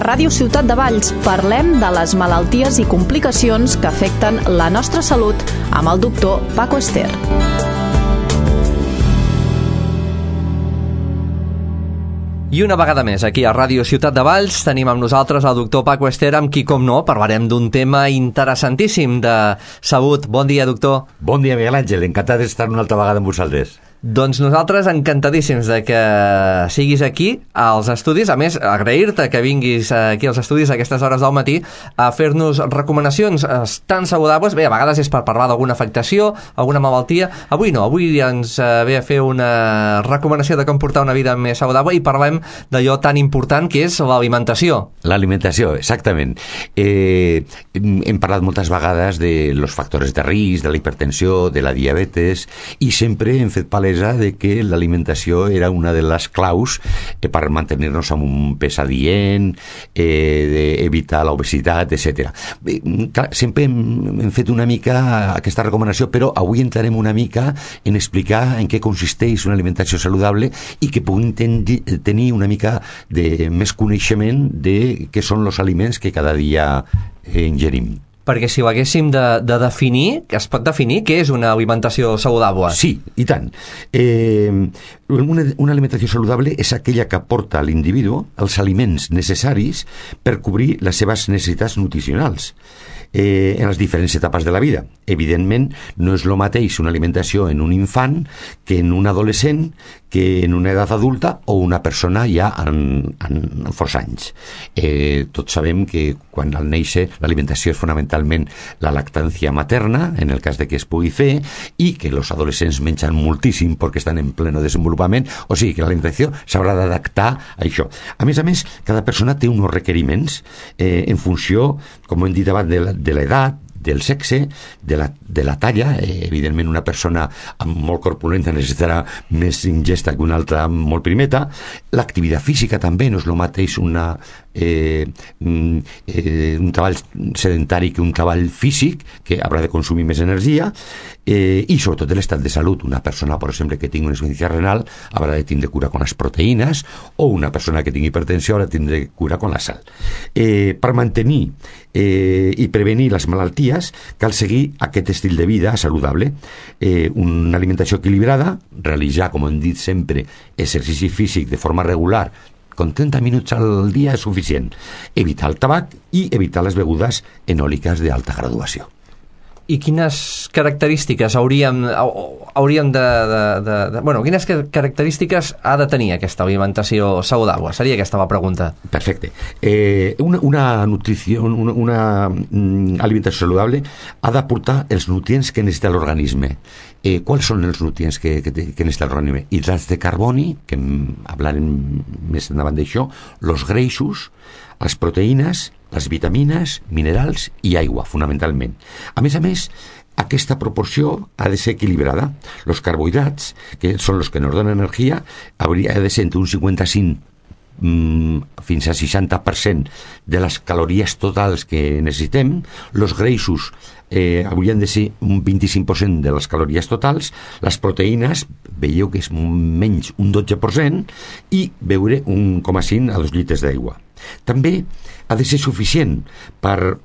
Ràdio Ciutat de Valls parlem de les malalties i complicacions que afecten la nostra salut amb el doctor Paco Ester. I una vegada més, aquí a Ràdio Ciutat de Valls tenim amb nosaltres el doctor Paco Ester, amb qui, com no, parlarem d'un tema interessantíssim de salut. Bon dia, doctor. Bon dia, Miguel Àngel. Encantat d'estar una altra vegada amb vosaltres. Doncs nosaltres encantadíssims de que siguis aquí als estudis. A més, agrair-te que vinguis aquí als estudis a aquestes hores del matí a fer-nos recomanacions tan saludables. Bé, a vegades és per parlar d'alguna afectació, alguna malaltia. Avui no, avui ens ve a fer una recomanació de com portar una vida més saludable i parlem d'allò tan important que és l'alimentació. L'alimentació, exactament. Hem parlat moltes vegades de los factores de risc, de la hipertensió, de la diabetes, i sempre hem fet palès de que l'alimentació era una de les claus per mantenir-nos amb un pes adient, d'evitar l'obesitat, etc. Sempre hem fet una mica aquesta recomanació, però avui entrarem una mica en explicar en què consisteix una alimentació saludable i que puguin tenir una mica de més coneixement de què són els aliments que cada dia ingerim. Perquè si ho haguéssim de definir, es pot definir què és una alimentació saludable? Sí, i tant. Una alimentació saludable és aquella que aporta a l'individu els aliments necessaris per cobrir les seves necessitats nutricionals en les diferents etapes de la vida. Evidentment, no és el mateix una alimentació en un infant que en un adolescent, que en una edat adulta o una persona ja en força anys. Tots sabem que quan al néixer l'alimentació és fonamentalment la lactància materna, en el cas de que es pugui fer, i que els adolescents mengen moltíssim perquè estan en pleno desenvolupament, o sigui que l'alimentació s'haurà d'adaptar a això. A més, cada persona té uns requeriments en funció, com hem dit abans, de l'edat, del sexe, de la talla. Evidentment una persona molt corpulenta necessitarà més ingesta que una altra molt primeta. L'activitat física també no és el mateix un treball sedentari que un treball físic, que haurà de consumir més energia, i sobretot l'estat de salut. Una persona, per exemple, que tingui una insuficiència renal haurà de tindre cura con les proteïnes, o una persona que tingui hipertensió haurà de tindre cura con la sal. Per mantenir i prevenir les malalties cal seguir aquest estil de vida saludable, una alimentació equilibrada, realitzar, com hem dit sempre, exercici físic de forma regular, con 30 minuts al dia és suficient, evitar el tabac i evitar les begudes enòliques d'alta graduació. I quines característiques quines característiques ha de tenir aquesta alimentació saludable? Seria aquesta la pregunta. Perfecte. Una alimentació saludable ha d'aportar els nutrients que necessita l'organisme. Quals són els nutrients que necessita l'organisme? Hidrats de carboni, que hablarem més endavant d'això, els greixos, les proteïnes, les vitamines, minerals i aigua, fonamentalment. A més, aquesta proporció ha de ser equilibrada. Els carbohidrats, que són els que ens donen energia, hauria de ser entre un 55 fins a 60% de les calories totals que necessitem. Els greixos haurien de ser un 25% de les calories totals. Les proteïnes, veieu que és menys un 12%, i beure 1,5 a 2 litres d'aigua. També ha de ser suficient per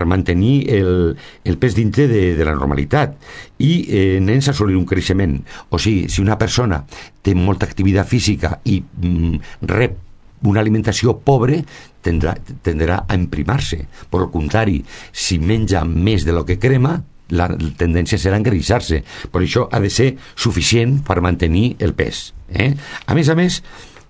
mantenir el pes dintre de la normalitat i nens assolir un creixement. O sigui, si una persona té molta activitat física i rep una alimentació pobre, tenderà a emprimar-se. Per el contrari, si menja més de lo que crema, la tendència serà a engreixar-se. Per això ha de ser suficient per mantenir el pes. A més,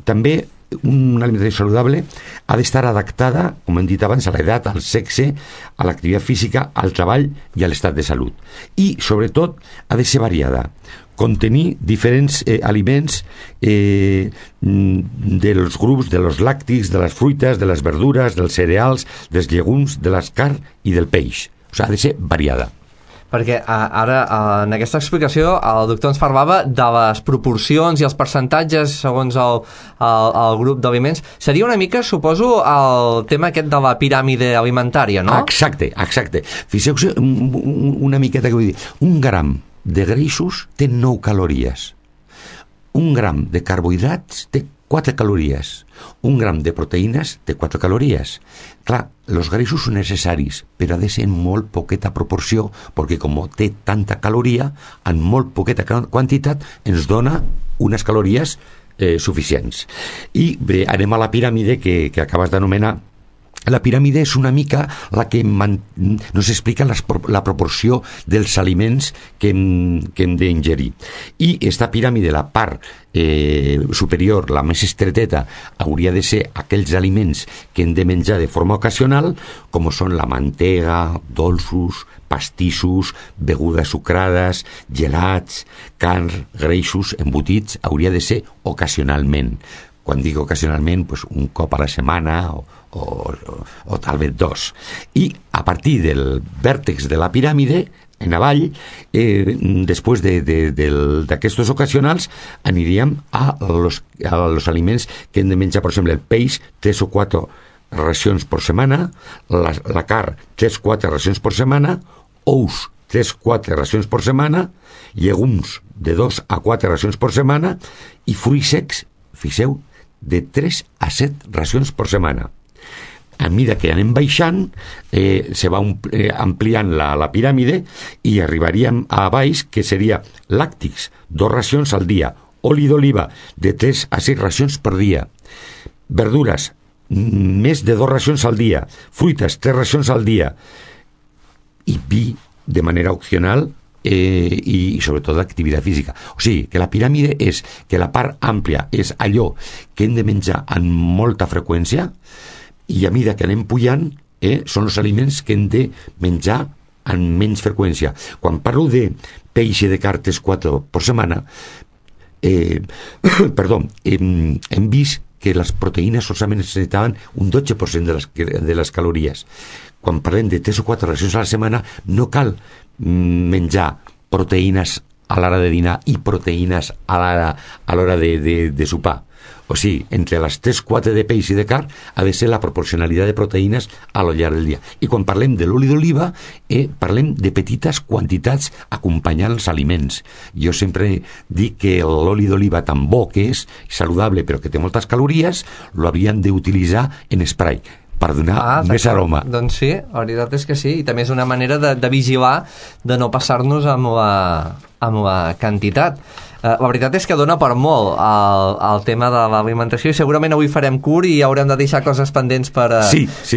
també una alimentació saludable ha d'estar adaptada, com hem dit abans, a l'edat, al sexe, a l'activitat física, al treball i a l'estat de salut. I, sobretot, ha de ser variada. Contenir diferents aliments dels grups de los làctics, de les fruites, de les verdures, dels cereals, dels llegums, de les carn i del peix. O sigui, ha de ser variada. Perquè ara, en aquesta explicació, el doctor ens parlava de les proporcions i els percentatges segons el grup d'aliments. Seria una mica, suposo, el tema aquest de la piràmide alimentària, no? Exacte. Fixeu-vos una miqueta que vull dir. Un gram de greixos té 9 calories. Un gram de carbohidrats té 4 calories. Un gram de proteïnes té 4 calories. Clar, els greixos són necessaris, però ha de ser en molt poqueta proporció, perquè com té tanta caloria, en molt poqueta quantitat ens dona unes calories suficients. I bé, anem a la piràmide que acabes d'anomenar. La piràmide és una mica la que nos explica la proporció dels aliments que hem d'ingerir. I esta piràmide, la part superior, la més estreteta, hauria de ser aquells aliments que hem de menjar de forma ocasional, com són la mantega, dolços, pastissos, begudes sucrades, gelats, carn, greixos, embotits, hauria de ser ocasionalment. Quan dic ocasionalment, pues un cop a la setmana o tal vez 2. I a partir del vèrtex de la piràmide, en avall, després d'aquestos ocasionals, aniríem a los aliments que hem de menjar, per exemple, el peix, 3 o 4 racions per setmana, la carn, 3 o 4 racions per setmana, ous, 3 o 4 racions per setmana, llegums, de 2 a 4 racions per setmana, i fruits secs, fixeu, de 3 a 7 racions per setmana. A mesura que anem baixant, se va ampliant la piràmide i arribaríem a baix, que seria làctics, 2 racions al dia, oli d'oliva, de 3 a 6 racions per dia, verdures, més de 2 racions al dia, fruites, 3 racions al dia, i vi de manera opcional, i sobretot l'activitat física. O sigui, que la piràmide és que la part àmplia és allò que hem de menjar en molta freqüència, i a mesura que anem pujant són els aliments que hem de menjar en menys freqüència. Quan parlo de peix i de carn 4 per setmana, hem vist que les proteïnes solament necessitaven un 12% de les calories. Quan parlem de 3 o 4 racions a la setmana, no cal menjar proteïnes a l'hora de dinar i proteïnes a l'hora de sopar. O sigui, entre les 3-4 de peix i de carn ha de ser la proporcionalitat de proteïnes a lo llarg del dia. I quan parlem de l'oli d'oliva, parlem de petites quantitats acompanyant els aliments. Jo sempre dic que l'oli d'oliva tan bo que és, saludable però que té moltes calories, lo havien d'utilitzar en spray per donar més aroma. Doncs sí, la veritat és que sí, i també és una manera de vigilar, de no passar-nos amb la quantitat. La veritat és que dona per molt el tema de l'alimentació, i segurament avui farem curt i haurem de deixar coses pendents per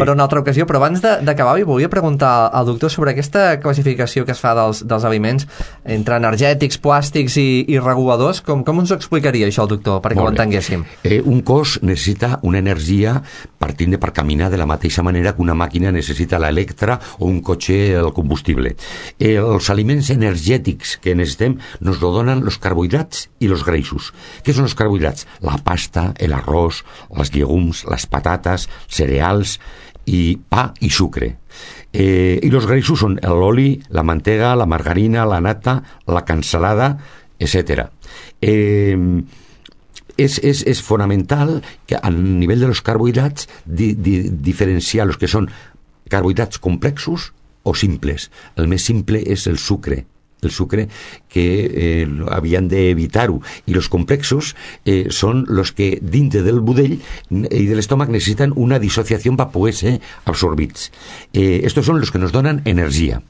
una altra ocasió, però abans d'acabar volia preguntar al doctor sobre aquesta classificació que es fa dels aliments entre energètics, plàstics i reguladors. Com ens ho explicaria això el doctor, perquè ho entenguéssim? Un cos necessita una energia partint per caminar de la mateixa manera que una màquina necessita l'electre o un cotxe el combustible. Els aliments energètics que necessitem nos lo donen els carbohidrats i els greixos. Què són els carbohidrats? La pasta, l'arròs, els llegums, les patates, cereals, i pa i sucre. I els greixos són l'oli, la mantega, la margarina, la nata, la cansalada, etc. És fonamental que a nivell de los carbohidrats diferenciar els que són carbohidrats complexos o simples. El més simple és el sucre que havien d'evitar-ho, i els complexos són els que dintre del budell i de l'estómac necessiten una dissociació per poder ser absorbits. Estos són els que nos donen energia.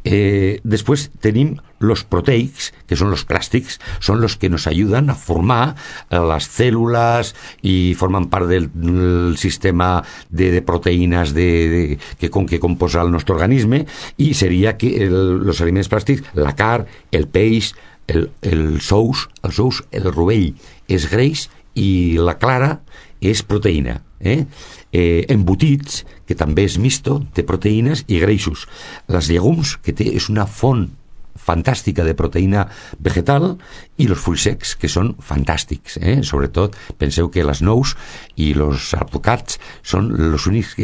Después tenim los proteics, que són los plàstics, són los que nos ayudan a formar les cèl·lules i formen part del sistema de proteïnes que composa el nostre organisme, i seria que els aliments plàstics, la carn, el peix, els ous, el rovell és greix i la clara és proteïna. Embotits, que també és misto, té proteïnes i greixos. Les llegums, que és una font fantàstica de proteïna vegetal, i els fruits secs, que són fantàstics. Sobretot, penseu que les nous i els alvocats són els únics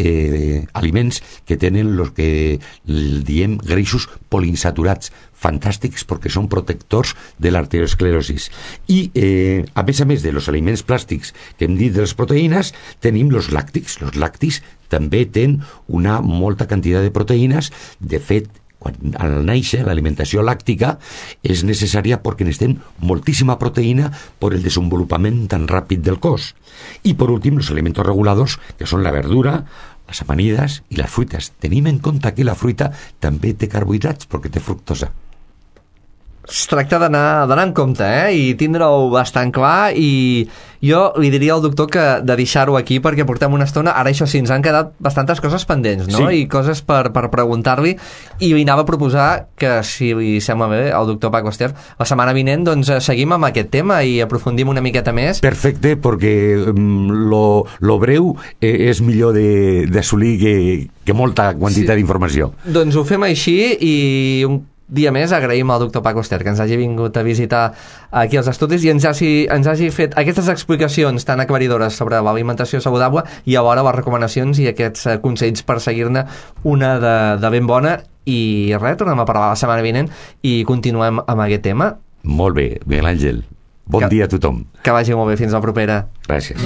aliments que tenen els que diem greixos poliinsaturats, fantàstics perquè són protectors de l'arteriosclerosis. I a més dels aliments plàstics que hem dit de les proteïnes, tenim els làctics. Els làctics també tenen una molta quantitat de proteïnes. De fet, Quan al néixer, l'alimentació làctica és necessària perquè necessitem moltíssima proteïna per el desenvolupament tan ràpid del cos. I, per últim, els aliments reguladors, que són la verdura, les amanides i les fruites. Tenim en compte que la fruita també té carbohidrats perquè té fructosa. Es tracta d'anar en compte, i tindre-ho bastant clar, i jo li diria al doctor que de deixar-ho aquí perquè portem una estona. Ara això sí, ens han quedat bastantes coses pendents, no? Sí. I coses per preguntar-li, i li anava a proposar que, si li sembla bé, al doctor Paco Ester, la setmana vinent doncs seguim amb aquest tema i aprofundim una miqueta més. Perfecte, perquè lo breu és millor d'assolir que molta quantitat d'informació. Doncs ho fem així, i un dia més agraïm al doctor Paco Ester que ens hagi vingut a visitar aquí als estudis i ens hagi fet aquestes explicacions tan aclaridores sobre l'alimentació saludable i alhora les recomanacions i aquests consells per seguir-ne una de ben bona. I res, tornem a parlar la setmana vinent i continuem amb aquest tema. Molt bé, Miguel Àngel. Bon dia a tothom. Que vagi molt bé, fins la propera. Gràcies.